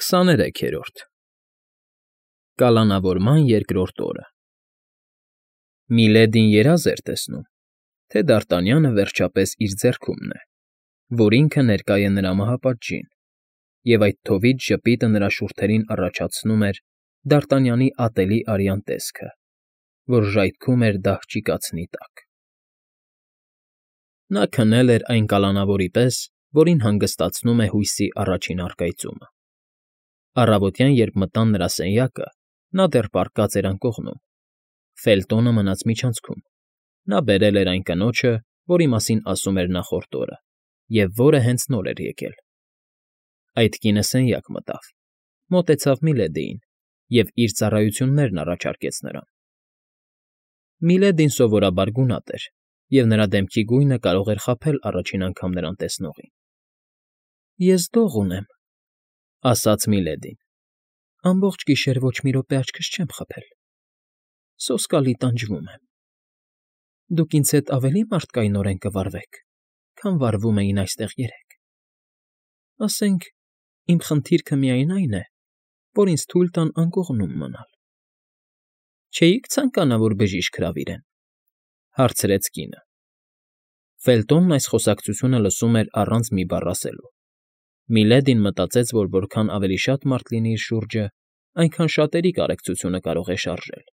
23-րդ Կալանավորման երկրորդ օրը Միլեդին երազ էր տեսնում, թե Դարտանյանը վերջապես իր ձեռքումն է, որ ինքը ներկա է նրա մահապատժին, և այդ թովիթ ժպիտը նրա շուրթերին առաջացնում էր Դարտանյանի ատելի արյան տեսքը, որ ժայթքում էր դահճի կացնի տակ։ Նա քնել էր այն կալանավորի պես, որին հանգստացնում է հույսի առաջին առկայծումը։ Առավոտյան, երբ մտան նրա սենյակը, նա դեռ պառկած էր անկողնում։ Ֆելտոնը մնաց միջանցքում։ Նա բերել էր այն կնոջը, որի մասին ասում էր նախորդ օրը, և որը հենց նոր էր եկել։ Այդ կինը սենյակ մտավ, մոտեցավ Միլեդիին և իր ծառայություններն առաջարկեց նրան։ Միլեդին սովորաբար գունատ էր, և նրա դեմքի գույնը կարող էր խաբել առաջին անգամ նրան տեսնողին։ ֊ Ես դող ունեմ, ֊ ասաց Միլեդին։ ֊ Ամբողջ գիշեր ոչ մի րոպե աչքս չեմ խփել։ Սոսկալի տանջվում եմ։ Դուք ինձ հետ ավելի մարդկայնորեն կվարվեք, քան վարվում էին այստեղ երեկ։ Ասենք, իմ խնդիրքը միայն այն է, որ ինձ թույլ տան անկողնում մնալ։ Չէի՞ք ցանկանա, որ բժիշկ հրավիրեմ, ֊ հարցրեց կինը։ Ֆելտոնն այս խոսակցությունը լսում էր առանց մի բառ ասելու։ Միլեդին մտածեց, որ որքան ավելի շատ մարդ լինի իր շուրջը, այնքան շատերի կարեկցությունը կարող է շարժել,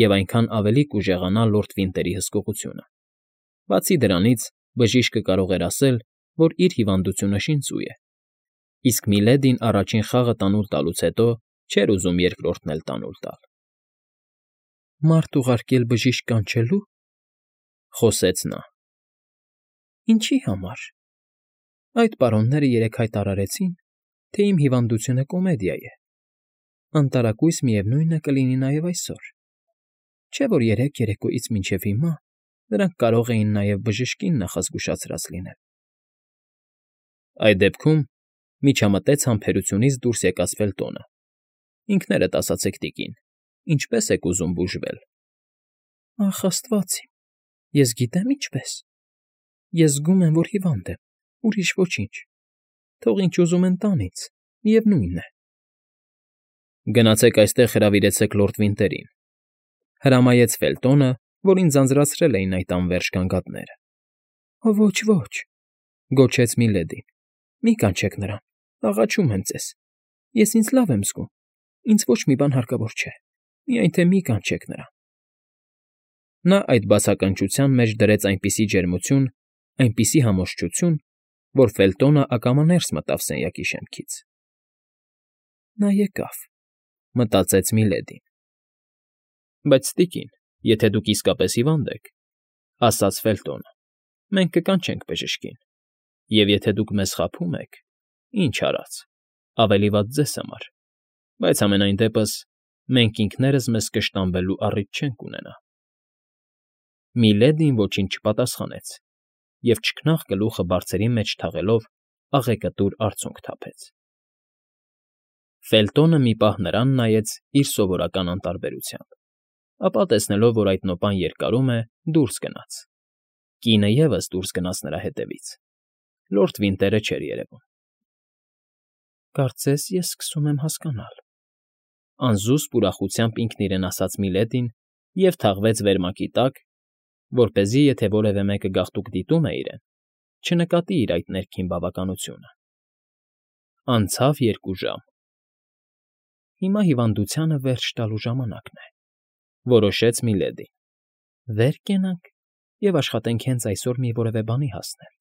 և այնքան ավելի կուժեղանա լորդ Վինտերի հսկողությունը։ Բացի դրանից, բժիշկը կարող էր ասել, որ իր հիվանդությունը շինծու է, իսկ Միլեդին առաջին խաղը տանուլ տալուց հետո չէր ուզում երկրորդն էլ տանուլ տալ։ ֊ Մարդ ուղարկել բժիշկ կանչելու, ֊ խոսեց նա։ ֊ Ինչի համար։ Այդ պարոնները երեկ հայտարարեցին, թե իմ հիվանդությունը կոմեդիա է։ Անտարակույս միևնույն է կլինի նաև այսօր։ Չէ՞ որ երեկ երեկոյից մինչև հիմա նրանք կարող էին նաև բժշկին նախազգուշացրած լինել։ Այդ դեպքում, միջամտեց համբերությունից դուրս եկած Ֆելտոնը, ինքներդ ասացեք, տիկին, ինչպե՞ս եք ուզում բուժվել։ Ախ, աստված իմ, ես գիտեմ ինչպես։ Ես զգում եմ, որ հիվանդ եմ, ուրիշ ոչինչ։ Թող ինչ ուզում են տան ինձ, միևնույն է։ Գնացեք այստեղ հրավիրեցեք լորդ Վինտերին, ֊ հրամայեց Ֆելտոնը, որին ձանձրացրել էին այդ անվերջ գանգատները։ Ոչ, ոչ, ֊ գոչեց Միլեդին, ֊ մի կանչեք նրան, աղաչում եմ ձեզ, ես ինձ լավ եմ զգում, ինձ ոչ մի բան հարկավոր չէ, միայն թե մի կանչեք նրան։ Նա այդ բացականչության մեջ դրեց այնպիսի ջերմություն, այնպիսի համոզչություն, որ Ֆելտոնը ակամա ներս մտավ սենյակի շեմքից։ Նա եկավ, ֊ մտածեց Միլեդին։ Բայց, տիկին, եթե դուք իսկապես հիվանդ եք, ֊ ասաց Ֆելտոնը, ֊ մենք կկանչենք բժշկին, և եթե դուք մեզ խաբում եք, ինչ արած, ավելի վատ ձեզ համար, բայց համենայն դեպս մենք ինքներս մեզ կշտամբելու առիթ չենք ունենա։ Միլեդին ոչինչ չպատասխանեց և չքնաղ գլուխը բարձերի մեջ թաղելով աղեկտուր արցունք թափեց։ Ֆելտոնը մի պահ նրան նայեց իր սովորական անտարբերությամբ, ապա տեսնելով, որ այդ նոպան երկարում է, դուրս գնաց։ Կինը ևս դուրս գնաց նրա հետևից։ Լորդ Վինտերը չէր երևում։ Կարծես ես սկսում եմ հասկանալ, ֊ անզուսպ ուրախությամբ ինքն իրեն ասաց Միլեդին և թաղվեց վերմակի տակ, որպեսզի, եթե որևէ մեկը գաղտուկ դիտում է իրեն, չնկատի իր այդ ներքին բավականությունը։ Անցավ 2 ժամ։ Հիմա հիվանդությանը վերջ տալու ժամանակն է, ֊ որոշեց Միլեդին։ Վեր կենանք և աշխատենք հենց այսօր մի որևէ բանի հասնել։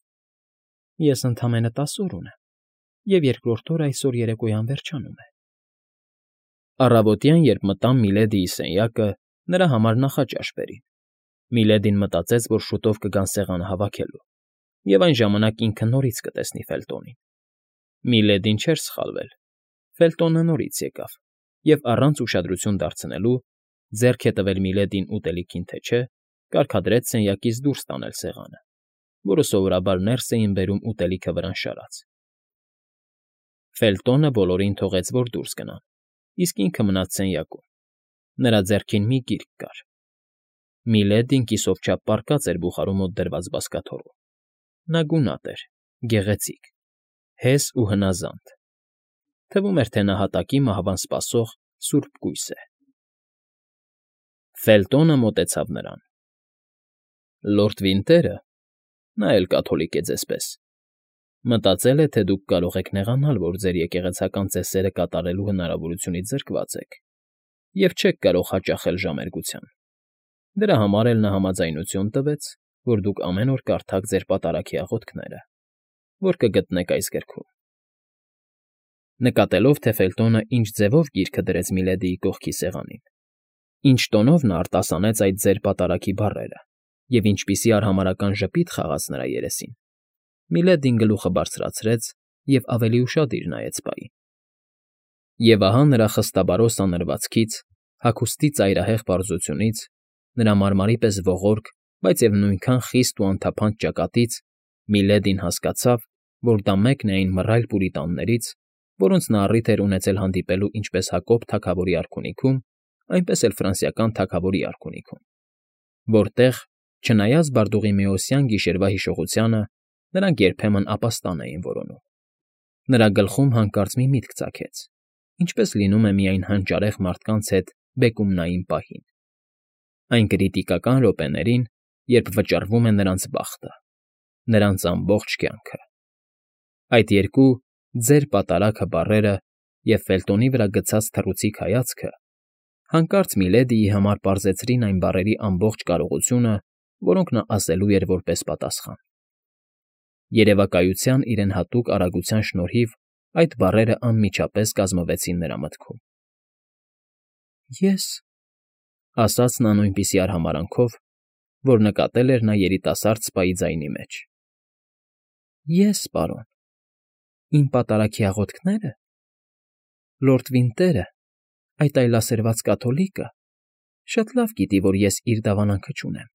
Ես ընդամենը 10 օր ունեմ, և երկրորդ օրը այսօր երեկոյան վերջանում է։ Առավոտյան, երբ մտան Միլեդիի սենյակը, նրա համար նախաճաշ բերին։ Միլեդին մտածեց, որ շուտով կգան սեղանը հավաքելու, և այն ժամանակ ինքը նորից կտեսնի Ֆելտոնին։ Միլեդին չէր սխալվել։ Ֆելտոնը նորից եկավ և առանց ուշադրություն դարձնելու, ձեռք է տվել Միլեդիին ուտելիքին թե չէ, կարգադրեց սենյակից դուրս տանել սեղանը, որը սովորաբար ներս էին բերում ուտելիքը վրան շարած։ Ֆելտոնը բոլորին թողեց, որ դուրս գնան, իսկ ինքը մնաց սենյակում։ Նրա ձեռքին մի գիրք կար։ Միլեդին կիսով չափ պառկած էր բուխարու մոտ դրված բազկաթոռում։ Նա գունատ էր, գեղեցիկ, հես ու հնազանդ։ Թվում էր, թե նա հատակի մահվան սպասող սուրբ կույս է։ Ֆելտոնը մոտեցավ նրան։ Լորդ Վինտերը (նա էլ կաթոլիկ է ձեզպես) մտածել է, թե դուք կարող եք նեղանալ, որ ձեր եկեղեցական ծեսերը կատարելու հնարավորությունից զրկված եք և չեք կարող հաճախել ժամերգության։ Դրա համար էլ նա համաձայնություն տվեց, որ դուք ամեն օր կարդաք ձեր պատարագի աղոթքները, որ կգտնեք այս գրքում։ Նկատելով, թե Ֆելտոնը ինչ ձևով գիրքը դրեց Միլեդիի կողքի սեղանին, ինչ տոնով նա արտասանեց այդ ձեր պատարագի բառերը և ինչպիսի արհամարհական ժպիտ խաղաց նրա երեսին, Միլեդին գլուխը բարձրացրեց և ավելի ուշադիր նայեց պային։ Եվ ահա նրա խստաբարո սանրվածքից, հագուստի ծայրահեղ պարզությունից, նրա մարմարի պես ողորկ, բայց և նույնքան խիստ ու անթափանց ճակատից Միլեդին հասկացավ, որ դա մեկն է այն մռայլ պուրիտաններից, որոնց նա առիթ էր ունեցել հանդիպելու ինչպես Հակոբ թագավորի արքունիքում, այնպես էլ ֆրանսիական թագավորի արքունիքում, որտեղ, չնայած Բարդուղիմեոսյան գիշերվա հիշողությանը, նրանք երբեմն ապաստան էին որոնում։ Նրա գլխում հանկարծ մի միտք ծագեց, ինչպես լինում է միայն հանճարեղ մարդկանց հետ բեկումնային պահին։ Այն կրիտիկական րոպեներին, երբ վճռվում է նրանց բախտը, նրանց ամբողջ կյանքը։ Այդ երկու «ձեր պատարագը» բառերը և Ֆելտոնի վրա գցած թռուցիկ հայացքը հանկարծ Միլեդիի համար պարզեցրին այն բառերի ամբողջ կարողությունը, որոնք նա ասելու էր որպես պատասխան։ Երևակայության իրեն հատուկ արագության շնորհիվ այդ բառերը անմիջապես կազմվեցին նրա մտքում։ Ես,֊ ասաց նա նույնպիսի արհամարհանքով, որ նկատել էր նա երիտասարդ սպայի ձայնի մեջ։ Ես, պարոն, իմ պատարագի աղոթքները… Լորդ Վինտերը, այդ այլասերված կաթոլիկը, շատ լավ գիտի, որ ես իր դավանանքը չունեմ։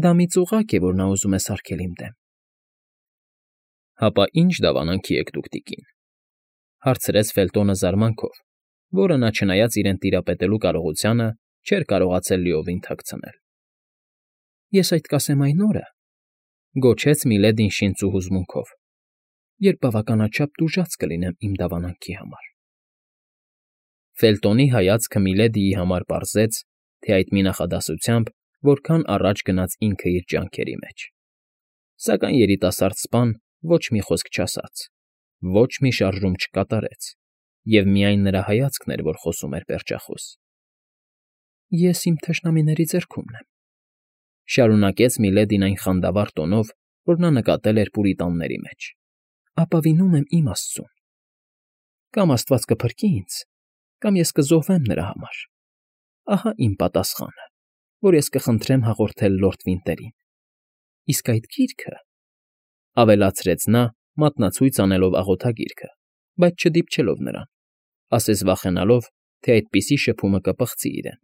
Դա մի ծուղակ է, որ նա ուզում է սարքել իմ դեմ։ Հապա ի՞նչ դավանանքի եք դուք, տիկին,֊ հարցրեց Ֆելտոնը զարմանքով, որը նա, չնայած իրեն տիրապետելու կարողությանը, չէր կարողացել լիովին թաքցնել։ Ես այդ կասեմ այն օրը, գոչեց Միլեդին շինծ ու հուզմունքով, երբ բավականաչափ տուժած կլինեմ իմ դավանանքի համար։ Ֆելտոնի հայացքը Միլեդիի համար պարզեց, թե այդ մի նախադասությամբ որքան առաջ գնաց ինքը իր ջանքերի մեջ։ Սակայն երիտասարդ սպան ոչ մի խոսք չասաց, ոչ մի շարժում չկատարեց, և միայն նրա հայացքն էր, որ խոսում էր պերճախոս։ Ես իմ թշնամիների ձեռքումն եմ,֊ շարունակեց Միլեդին այն խանդավառ տոնով, որ նա նկատել էր պուրիտանների մեջ,֊ ապավինում եմ իմ Աստծուն։ Կամ Աստված կփրկի ինձ, կամ ես կզոհվեմ նրա համար։ Ահա իմ պատասխանը, որ ես կխնդրեմ հաղորդել լորդ Վինտերին։ Իսկ այդ գիրքը,֊ ավելացրեց նա, մատնացույց անելով աղոթագիրքը, բայց չդիպչելով նրան, ասես վախենալով, թե այդպիսի շփումը կպղծի իրեն։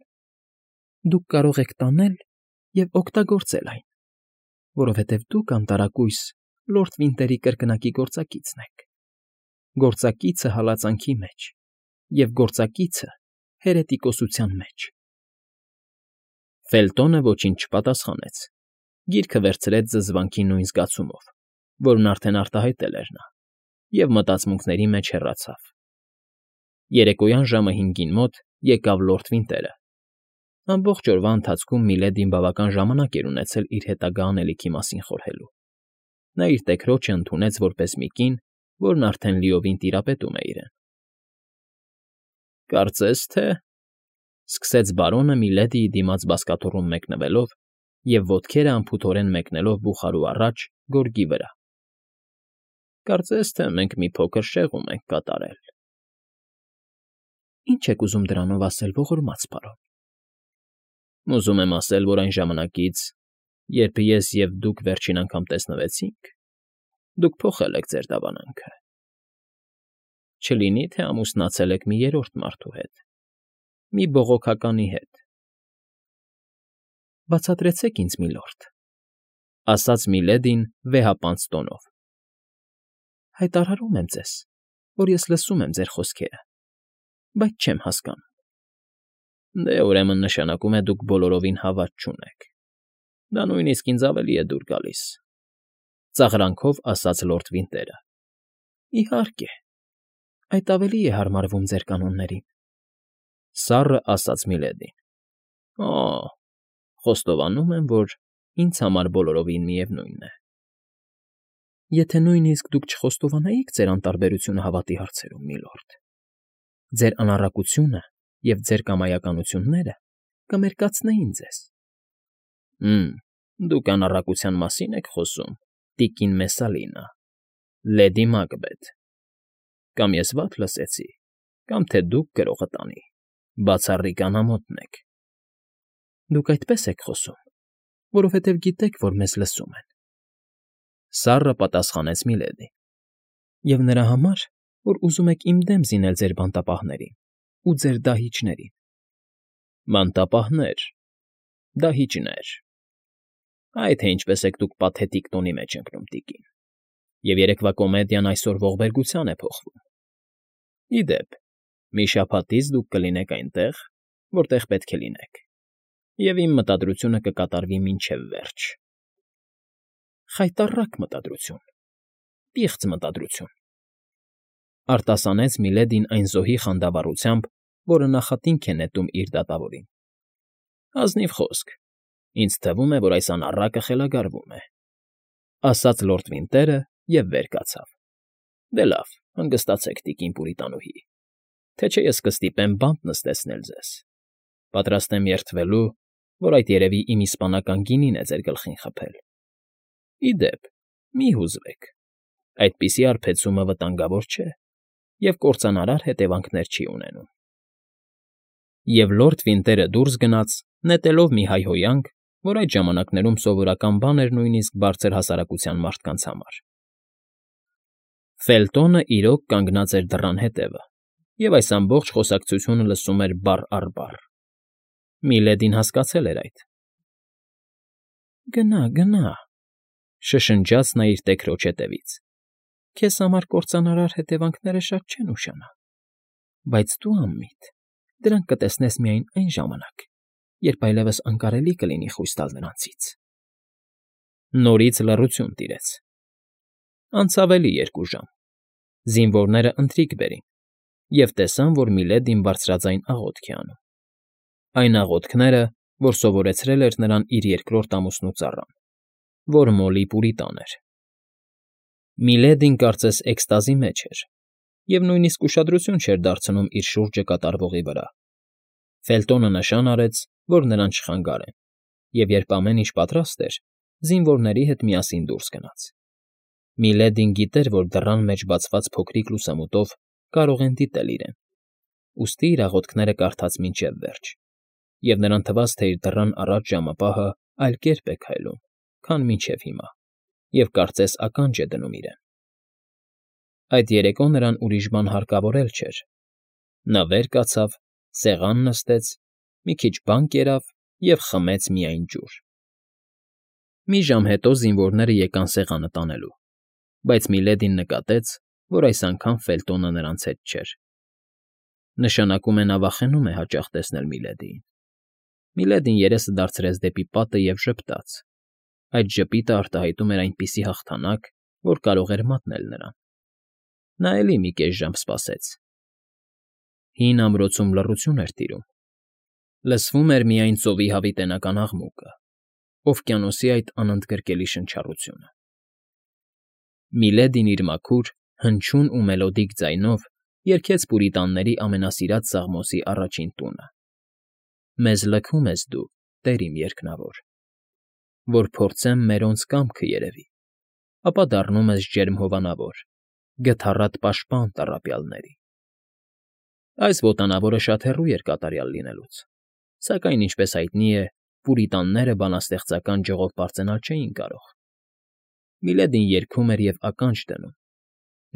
Դուք կարող եք տանել և օգտագործել այն, որովհետև դուք, անտարակույս, լորդ Վինտերի կրկնակի գործակիցն եք, գործակիցը հալածանքի մեջ և գործակիցը հերետիկոսության մեջ։ Ֆելտոնը ոչինչ չպատասխանեց, գիրքը վերցրեց զզվանքի նույն զգացումով, որն արդեն արտահայտել էր նա, և մտածմունքների մեջ հեռացավ։ Երեկոյան ժամը 5-ին մոտ եկավ լորդ Վինտերը։ Ամբողջ օրվա ընթացքում Միլեդին բավական ժամանակ էր ունեցել իր հետագա անելիքի մասին խորհելու։ Նա իր տեքրոջը ընդունեց որպես մի կին, որն արդեն լիովին տիրապետում է իրեն։ Կարծես թե,֊ սկսեց բարոնը Միլեդիի դիմաց բազկաթոռում մեկնվելով և ոտքերը անփութորեն մեկնելով բուխարու առաջ գորգի վրա,֊ կարծես թե մենք մի փոքր շեղում ենք կատարել։ Ինչ եք ուզում դրանով ասել, ողորմած պարոն։ Ուզում եմ ասել, որ այն ժամանակից, երբ ես և դուք վերջին անգամ տեսնվեցինք, դուք փոխել եք ձեր դավանանքը։ Չլինի, թե ամուսնացել եք մի երրորդ մարդու հետ, մի բողոքականի հետ։ Բացատրեցեք ինձ, միլորդ,֊ ասաց Միլեդին վեհապանծ տոնով։ Հայտարարում եմ ձեզ, որ ես լսում եմ ձեր խոսքերը, բայց չեմ հասկանում։ Դե, ուրեմն նշանակում է դուք բոլորովին հավատ չունեք։ Դա նույնիսկ ինձ ավելի է դուր գալիս,֊ ծաղրանքով ասաց լորդ Վինտերը։ Իհարկե, Այդ ավելի է հարմարվում ձեր կանոններին,֊ սառը ասաց Միլեդին։ Օ՜, խոստովանում եմ, որ ինձ համար բոլորովին միևնույն է։ Եթե նույնիսկ դուք չխոստովանեիք ձեր անտարբերությունը հավատի հարցերում, միլորդ, ձեր անառակությունը և ձեր կամայականությունները կմերկացնեին ձեզ։ Դուք անառակության մասին եք խոսում, տիկին Մեսսալինա, լեդի Մակբեթ, կամ ես վատ լսեցի, կամ թե դուք գրողը տանի, բացառիկ անամոթն եք։ Դուք այդպես եք խոսում, որովհետև գիտեք, որ մեզ լսում են,֊ սառը պատասխանեց Միլեդին,֊ և նրա համար, որ ուզում եք իմ դեմ զինել ձեր բանտապահներին ու ձեր դահիճներին։ Բանտապահներ, դահիճներ… Այ թե ինչպես եք դուք պաթետիկ տոնի մեջ ընկնում, տիկին, և երեկվա կոմեդիան այսօր ողբերգության է փոխվում։ Ի դեպ, մի շաբաթից դուք կլինեք այնտեղ, որտեղ պետք է լինեք, և իմ մտադրությունը կկատարվի մինչև վերջ։ Խայտառակ մտադրություն, պիղծ մտադրություն,֊ արտասանեց Միլեդին այն զոհի խանդավառությամբ, որը նախատինք է նետում իր դատավորին։ Ազնիվ խոսք, ինձ թվում է, որ այս անառակը խելագարվում է,֊ ասաց լորդ Վինտերը և վեր կացավ։ Դե լավ, հանգստացեք, տիկին Պուրիտանուհի, թե չէ ես կստիպեմ բանտ նստեցնել ձեզ։ Պատրաստ եմ երդվելու, որ այդ երևի իմ իսպանական գինին է ձեր գլխին խփել։ Ի դեպ, մի հուզվեք, այդպիսի արբեցումը վտանգավոր չէ և կործանարար հետևանքներ չի ունենում։ Եվ լորդ Վինտերը դուրս գնաց, նետելով մի հայհոյանք, որ այդ ժամանակներում սովորական բան էր նույնիսկ բարձր հասարակության մարդկանց համար։ Ֆելտոնը իրոք կանգնած էր դռան հետևը և այս ամբողջ խոսակցությունը լսում էր բառ առ բառ։ Միլեդին հասկացել էր այդ։ Գնա, գնա,֊ շշնջաց նա իր տեքրոջ ետևից,֊ քեզ համար կործանարար հետևանքները շատ չեն ուշանա, բայց դու անմիտ, դրանք կտեսնես միայն այն ժամանակ, երբ այլևս անկարելի կլինի խույս տալ նրանցից։ Նորից լռություն տիրեց։ Անցավ էլի 2 ժամ, զինվորները ընթրիք բերին և տեսան, որ Միլեդին բարձրաձայն աղոթք է անում։ Այն աղոթքները, որ սովորեցրել էր նրան իր երկրորդ ամուսնու ծառան, որ Մոլի Պուրիտան էր։ Միլեդին կարծես էքստազի մեջ էր և նույնիսկ ուշադրություն չէր դարձնում իր շուրջը կատարվողի վրա։ Ֆելտոնը նշան արեց, որ նրան չխանգարեն, և երբ ամեն ինչ պատրաստ էր, զինվորների հետ միասին դուրս գնաց։ Միլեդին գիտեր, որ դռան մեջ բացված փոքրիկ լուսամուտով կարող են դիտել իրեն, ուստի իր աղոթքները կարդաց մինչև վերջ, և նրան թվաց, թե իր դռան առաջ ժամապահը այլ կերպ է քայլում, քան մինչև հիմա, և կարծես ականջ է դնում իրեն։ Այդ երեկո նրան ուրիշ բան հարկավոր էլ չէր։ Նա վեր կացավ, սեղան նստեց, մի քիչ բան կերավ և խմեց միայն ջուր։ Մի ժամ հետո զինվորները եկան սեղանը տանելու, բայց Միլեդին նկատեց, որ այս անգամ Ֆելտոնը նրանց հետ չէր։ Նշանակում է նա վախենում է հաճախ տեսնել Միլեդիին։ Միլեդին երեսը դարձրեց դեպի պատը և ժպտաց։ Այդ ժպիտը արտահայտում էր այնպիսի հաղթանակ, որ կարող էր մատնել նրան։ Նա էլի մի կես ժամ սպասեց։ Հին ամրոցում լռություն էր տիրում։ Լսվում էր միայն ծովի հավիտենական աղմուկը, օվկիանոսի այդ անընդգրկելի շնչառությունը։ Միլեդին իր մաքուր, հնչյուն ու մելոդիկ ձայնով երգեց պուրիտանների ամենասիրած սաղմոսի առաջին տունը. Մեզ լքում ես դու, Տեր իմ երկնավոր, որ փորձեմ մերոնց կամքը երևի, ապա դառնում ես ջերմ հովանավոր, գթառատ պաշտպան տառապյալների։ Այս ոտանավորը շատ հեռու էր կատարյալ լինելուց, սակայն, ինչպես հայտնի է, պուրիտանները բանաստեղծական ճյուղով պարծենալ չէին կարող։ Միլեդին երգում էր և ականջ դնում։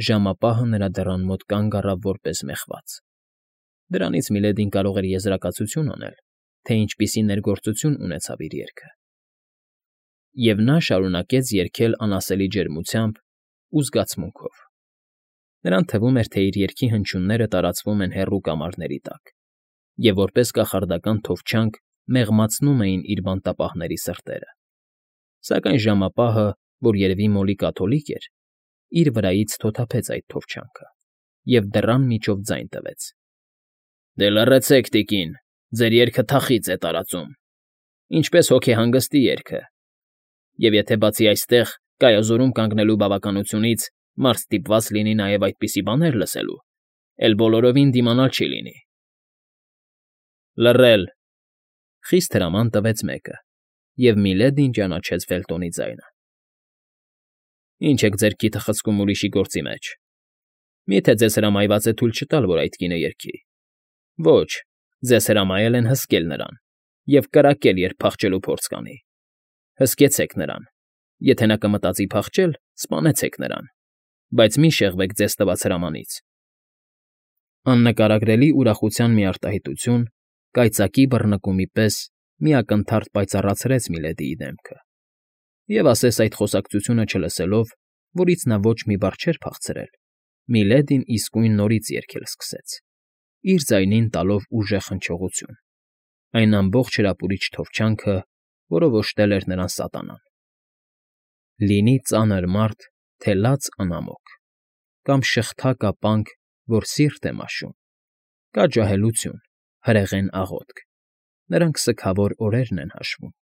Ժամապահը նրա դռան մոտ կանգ առավ որպես մեղված։ Դրանից Միլեդին կարող էր եզրակացություն անել, թե ինչպիսի ներգործություն ունեցավ իր երգը։ Եվ նա շարունակեց երգել անասելի ջերմությամբ ու զգացմունքով։ Նրան թվում էր, թե իր երգի հնչյունները տարածվում են հեռու կամարների տակ և որպես կախարդական թովչանք մեղմացնում էին իր բանտապահների սրտերը։ Սակայն ժամապահը, որ երևի մոլի կաթոլիկ էր, իր վրայից թոթափեց այդ թովչանքը և դռան միջով ձայն տվեց. «Դե լռեցեք, տիկին, ձեր երգը թախիծ է տարածում, ինչպես հոգեհանգստի երգը, և եթե բացի այստեղ կայազորում կանգնելու բավականությունից մարդ ստիպված լինի նաև այդպիսի բաներ լսելու, էլ բոլորովին դիմանալ չի լինի»։ «Լռել», ֊ խիստ հրաման տվեց մեկը, և Միլեդին ճանաչեց Ֆելտոնի ձայնը։ «Ինչ եք ձեր քիթը խցկում ուրիշի գործի մեջ։ Մի՞թե ձեզ հրամայված է թույլ չտալ, որ այդ կինը երգի։ Ոչ, ձեզ հրամայել են հսկել նրան և կրակել, երբ փախչելու փորձ կանի։ Հսկեցեք նրան, եթե նա կմտածի փախչել, սպանեցեք նրան, բայց մի շեղվեք ձեզ տված հրամանից»։ Աննկարագրելի ուրախության մի արտահայտություն, կայծակի բռնկումի պես մի ակնթարթ պայծառացրեց Միլեդիի դեմքը, և ասես այդ խոսակցությունը չլսելով, որից նա ոչ մի բառ չէր փախցրել, Միլեդին իսկույն նորից երգել սկսեց, իր ձայնին տալով ուժեղ հնչողություն, այն ամբողջ հրապուրիչ թովչյանքը, որով օժտել էր նրան սատանան. Լինի ծանր մարդ, թե լաց անամոք, կամ շղթա կապանք, որ սիրտ է մաշում, կա ջահելություն, հրեղեն աղոթք, նրանք սգավոր օրերն են հաշվում։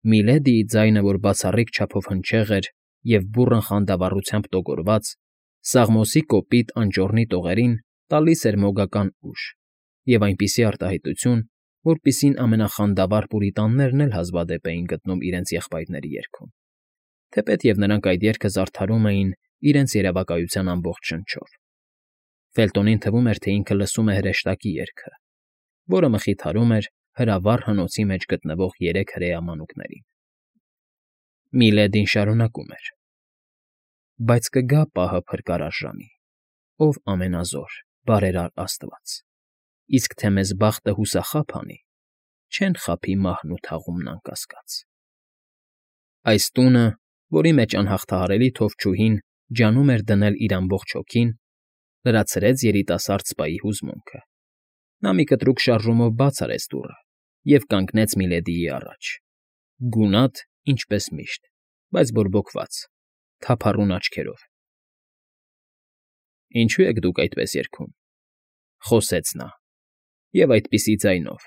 Միլեդիի ձայնը, որ բացառիկ չափով հնչեղ էր և բուռն խանդավառությամբ տոգորված, սաղմոսի կոպիտ անճոռնի տողերին տալիս էր մոգական ուժ և այնպիսի արտահայտություն, որպիսին ամենախանդավառ պուրիտաններն էլ հազվադեպ էին գտնում իրենց եղբայրների երգում, թեպետև նրանք այդ երգը զարդարում էին իրենց երևակայության ամբողջ շնչով։ Ֆելտոնին թվում էր, թե ինքը լսում է հրեշտակի երգը, որը մխիթարում էր հրավառ հնոցի մեջ գտնվող երեք հրեա մանուկներին։ Միլեդին շարունակում էր. «Բայց կգա պահը փրկարար ժամի, ով ամենազոր, բարերար աստված, իսկ թե մեզ բախտը հուսախաբ անի, չեն խաբի մահն ու թաղումն անկասկած»։ Այս տունը, որի մեջ անհաղթահարելի թովչուհին ջանում էր դնել իր ամբողջ հոգին, լրացրեց երիտասարդ սպայի հուզմունքը։ Նա մի կտրուկ շարժումով բաց արեց դուռը և կանգնեց Միլեդիի առաջ, գունատ, ինչպես միշտ, բայց բորբոքված, թափառուն աչքերով։ «Ինչո՞ւ եք դուք այդպես երգում», ֊ խոսեց նա, և այդպիսի ձայնով։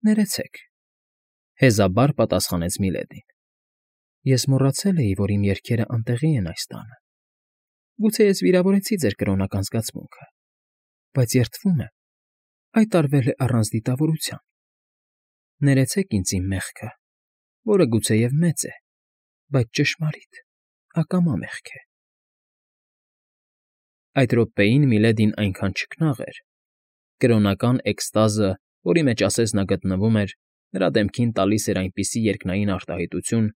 «Ներեցեք», ֊ հեզաբար պատասխանեց Միլեդին։ «Ես մոռացել էի, որ իմ երգերը անտեղի են այս տանը։ Գուցե ես վիրավորեցի ձեր կրոնական զգացմունքը, բայց երդվում եմ, այդ արվել է առանց դիտավորության։ Ներեցեք ինձ իմ մեղքը, որը գուցեև մեծ է, բայց ճշմարիտ, ակամա մեղք է»։ Այդ րոպեին Միլեդին այնքան չքնաղ էր, կրոնական էքստազը, որի մեջ ասես նա գտնվում էր, նրա դեմքին տալիս էր այնպիսի երկնային արտահայտություն,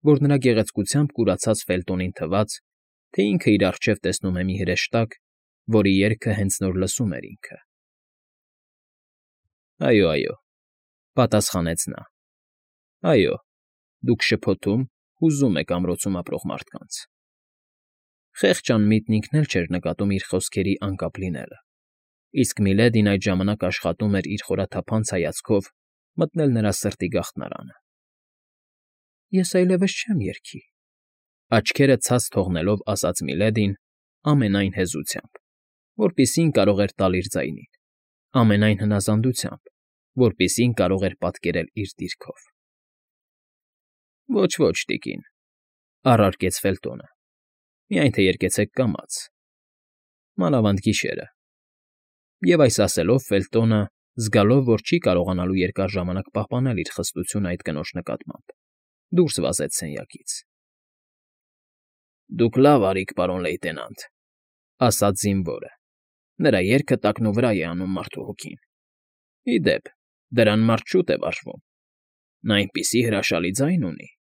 որ նրա գեղեցկությամբ կուրացած Ֆելտոնին թվաց, թե ինքը իր առջև տեսնում է մի հրեշտակ, որի երգը հենց նոր լսում էր ինքը։ «Այո, այո», ֊ պատասխանեց նա։ «Այո, դուք շփոթում, հուզում եք ամրոցում ապրող մարդկանց»։ Խեղճ անմիտն ինքն էլ չէր նկատում իր խոսքերի անկապ լինելը, իսկ Միլեդին այդ ժամանակ աշխատում էր իր խորաթափանց հայացքով մտնել նրա սրտի գաղթարանը։ «Ես այլևս չեմ երգի», ֊ աչքերը ցած թողնելով ասաց Միլեդին ամենայն հեզությամբ, որպիսին կարող էր տալ իր ձայնին, ամենայն հնազանդությամբ, որպիսին կարող էր պատկերել իր դիրքով։ «Ոչ, տիկին», ֊ առարկեց Ֆելտոնը, «միայն թե երգեցեք կամաց, մանավանդ գիշերը»։ Եվ այս ասելով Ֆելտոնը, զգալով, որ չի կարողանալու երկար ժամանակ պահպանել իր խստությունը այդ կնոջ նկատմամբ, դուրս վազեց սենյակից։ «Դուք լավ արիք, պարոն լեյտենանտ», ֊ ասաց զինվորը. «նրա երգը տակնուվրա է անում մարդու հոգին։ Ի դեպ, դրան մարդ շուտ է վարժվում։ Նա այնպիսի հրաշալի ձայն ունի»։